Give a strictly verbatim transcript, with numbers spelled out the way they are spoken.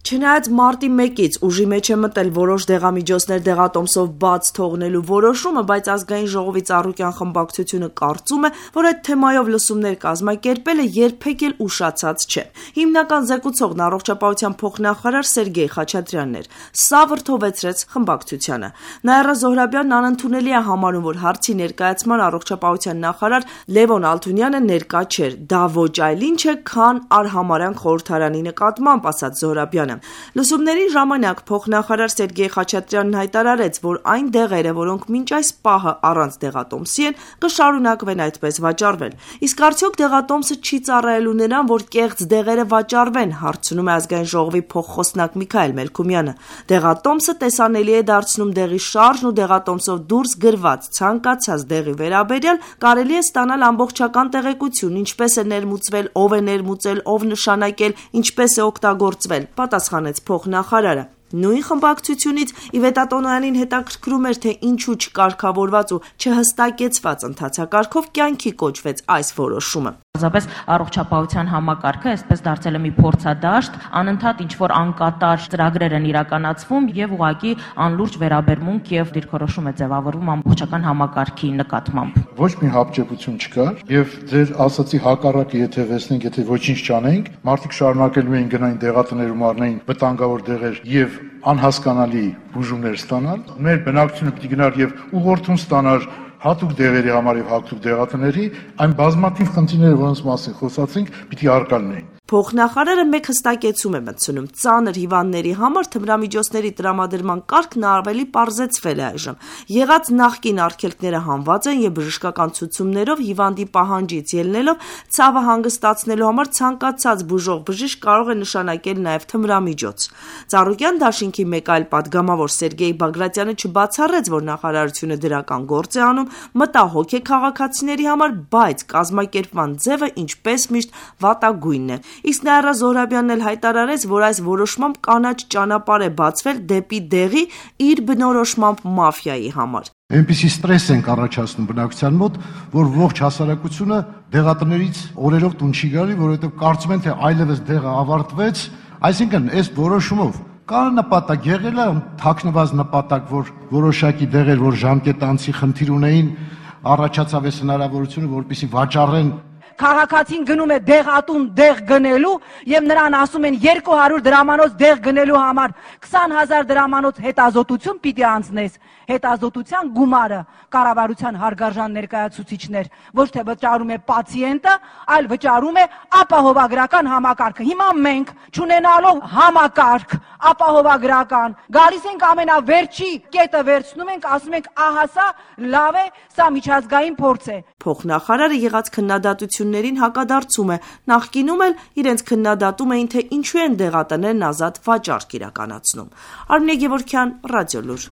Չնայած մարտի մեկից ուժի մեջ է մտել որոշ դեղամիջոցներ դեղատոմսով բաց թողնելու որոշումը, բայց ազգային ժողովի Ծառուկյան խմբակցությունը կարծում է, որ այդ թեմայով լսումներ կազմակերպելը երբեք էլ ուշացած չէ։ Հիմնական զեկուցողն առողջապահության փոխնախարար Սերգեյ Խաչատրյանն էր։ Սա վրդովեցրեց խմբակցությանը։ Նաիրա Զոհրաբյանն անընդունելի է համարում, որ հարցի ներկայացման առողջապահության նախարար Լևոն Ալթունյանը ներկա չէր։ Դա ոչ այլ ինչ է, քան արհամարհանք խորհրդարանի նկատմամբ, ասաց Զոհրաբյանը։ Լսումների ժամանակ փոխնախարար Սերգեյ Խաչատրյանն հայտարարեց, որ այն դեղերը, որոնք մինչ այս պահը առանց դեղատոմսի են, կշարունակվեն այդպես վաճառվել։ Իսկ արդյոք դեղատոմսը չի ծառայելու նրան, որ կեղծ դեղերը վաճառվեն, հարցնում է ազգային ժողովի փոխխոսնակ Միքայել Մելքումյանը։ Դեղատոմսը տեսանելի է դարձնում դեղի շարժն ու դեղատոմսով դուրս գրված ցանկացած դեղի վերաբերյալ կարելի է ստանալ ամբողջական տեղեկություն, ինչպես է ներմուծվել, ով է ներմուծել, ով նշանակել, ինչպես է օգտագործվել, պատասխանեց փոխնախարարը։ Նույն խմբակցությունից Իվետա հետաքրքրում էր, թե ինչու չկարգավորված ու չհստակեցված ընթացակարգով կյանքի կոչվեց այս որոշումը։ Պարզապես առողջապահության համակարգը այսպես դարձել է մի փորձադաշտ, անընդհատ ինչ-որ անկատար ծրագրեր են իրականացվում եւ ուղղակի անլուրջ վերաբերմունք եւ դիրքորոշում է ձևավորվում ամբողջական համակարգի նկատմամբ։ Ոչ մի հապճեպություն չկար եւ ձեր ասացի հակառակը եթե վերցնենք, եթե ոչինչ չանենք, մարդիկ շարունակելու են գնային դեղատներում առնային վտանգավոր դեղեր եւ անհասկանալի բուժումներ ստանալ։ Մեր բնակչությունը պիտի գնար եւ ուղղորդում ստանար հատուկ դեղերի համար եւ հատուկ դեղատների, այն բազմաթիվ խնդիրները, որոնց մասին խոսացինք, պիտի առկա լինեն։ Փոխնախարարը մեկ հստակեցում է մտցնում. ծանր հիվանդների համար թմրամիջոցների տրամադրման կարգն ավելի պարզեցվել է այժմ։ Եղած նախկին արգելքները հանված են եւ բժշկական ցուցումներով հիվանդի պահանջից ելնելով ցավը հանգստացնելու համար ցանկացած բուժող բժիշկ կարող է նշանակել նաեւ թմրամիջոց։ Ծառուկյան դաշինքի մեկ այլ падգամավոր Սերգեյ Բագրատյանը չբացառեց, որ նախարարությունը դրական գործ է անում, մտահոգ է քաղաքացիների համար, բայց կազմակերպման ձևը ինչպես միշտ վատագույնն է։ Իսկ Նաիրա Զոհրաբյանն էլ հայտարարեց, որ այս որոշմամբ կանաչ ճանապարհ է բացվել դեպի դեղի իր բնորոշմամբ մաֆիայի համար։ Այնպիսի ստրես ենք առաջացնում բնակչության մոտ, որ ողջ հասարակությունը դեղատներից օրերով տուն չի գալի, որովհետև կարծում են, թե այլևս դեղը ավարտվեց, այսինքն այս որոշումով կա նպատակ եղել է թաքնված նպատակ, որ որոշակի դեղեր, որ ժամկետանցի խնդիր ունեին, առաջացավ այս հնարավորությունը, որպեսզի վաճառեն։ Քաղաքացին գնում է դեղատուն դեղ գնելու եւ նրան ասում են երկու հարյուր դրամանոց դեղ գնելու համար քսան հազար դրամանոց հետազոտություն պիտի անցնես։ Հետազոտության գումարը կառավարության հարգարժան ներկայացուցիչներ ոչ թե վճարում է պացիենտը, այլ վճարում է ապահովագրական համակարգը։ Հիմա մենք չունենալով համակարգ ապահովագրական գալիս ենք ամենավերջի կետը վերցնում ենք, ասում ենք ահա սա լավ է, սա միջազգային փորձ է։ Փոխնախարարը եղած քննադատություններին հակադարձում է։ Նախկինում էլ իրենց քննադատում էին, թե ինչու են դեղատներն ազատ վաճառք իրականացնում։ Արմինե Գևորգյան, Ռադիոլուր։